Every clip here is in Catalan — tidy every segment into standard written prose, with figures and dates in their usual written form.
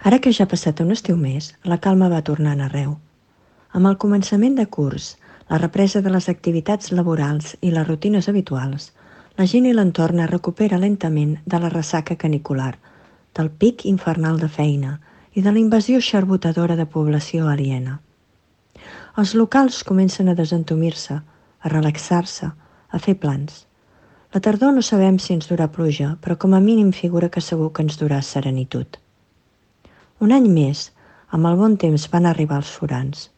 Ara que ja ha passat un estiu més, la calma va tornant arreu. Amb el començament de curs, la represa de les activitats laborals i les rutines habituals, la gent i l'entorn es recupera lentament de la ressaca canicular, del pic infernal de feina i de la invasió xarbotadora de població aliena. Els locals comencen a desentumir-se, a relaxar-se, a fer plans. La tardor no sabem si ens durà pluja, però com a mínim figura que segur que ens durà serenitud. Un any més, amb el bon temps van arribar els forans.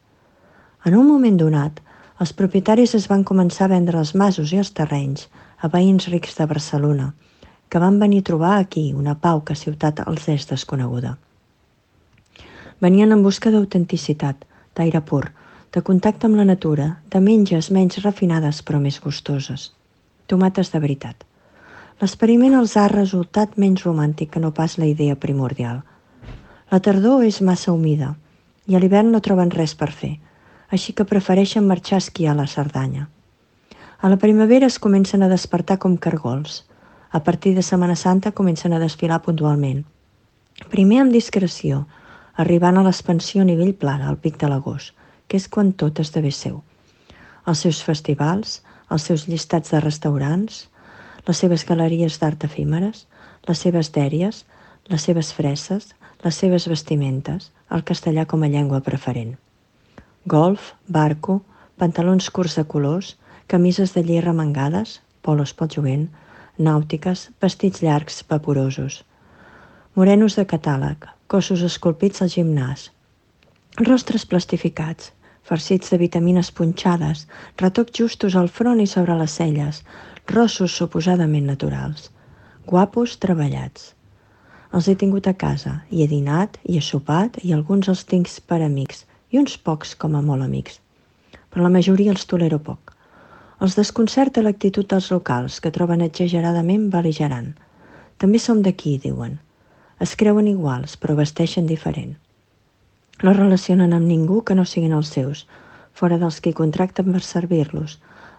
En un moment donat, els propietaris es van començar a vendre els masos i els terrenys a veïns rics de Barcelona, que van venir a trobar aquí una pau que a ciutat els és desconeguda. Venien en busca d'autenticitat, d'aire pur, de contacte amb la natura, de menges menys refinades però més gustoses. Tomates de veritat. L'experiment els ha resultat menys romàntic que no pas la idea primordial. La tardor és massa humida i a l'hivern no troben res per fer, així que prefereixen marxar a esquiar a la Cerdanya. A la primavera es comencen a despertar com cargols. A partir de Setmana Santa comencen a desfilar puntualment. Primer amb discreció, arribant a l'expansió a nivell pla, al pic de l'agost, que és quan tot esdevé seu. Els seus festivals, els seus llistats de restaurants, les seves galeries d'art efímeres, les seves dèries, les seves fresses, les seves vestimentes, el castellà com a llengua preferent. Golf, barco, pantalons curts de colors, camises de lli remengades, polos pel jovent, nàutiques, vestits llargs, vaporosos. Morenos de catàleg, cossos esculpits al gimnàs, rostres plastificats, farcits de vitamines punxades, retocs justos al front i sobre les celles, rossos suposadament naturals, guapos treballats. Els he tingut a casa, i he dinat, i he sopat, i alguns els tinc per amics, i uns pocs com a molt amics. Però la majoria els tolero poc. Els desconcerta l'actitud dels locals, que troben exageradament bel·ligerant. També som d'aquí, diuen. Es creuen iguals, però vesteixen diferent. No relacionen amb ningú que no siguin els seus, fora dels que contracten per servir-los,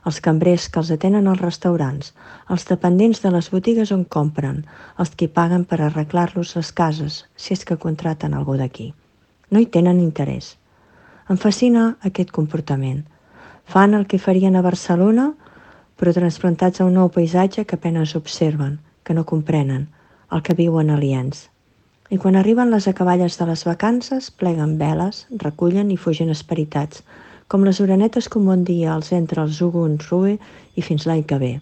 els cambrers que els atenen als restaurants, els dependents de les botigues on compren, els que paguen per arreglar-los les cases, si és que contraten algú d'aquí. No hi tenen interès. Em fascina aquest comportament. Fan el que farien a Barcelona, però transplantats a un nou paisatge que apenes observen, que no comprenen, el que viuen aliens. I quan arriben les acaballes de les vacances, pleguen veles, recullen i fugen esperitats, com les orenetes que un bon dia els entra el Zugun Rue i fins l'any que ve.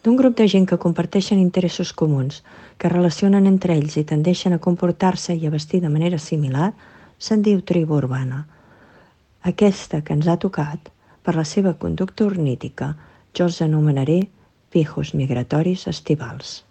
D'un grup de gent que comparteixen interessos comuns, que relacionen entre ells i tendeixen a comportar-se i a vestir de manera similar, se'n diu tribu urbana. Aquesta que ens ha tocat, per la seva conducta ornítica, jo els anomenaré pijos migratoris estivals.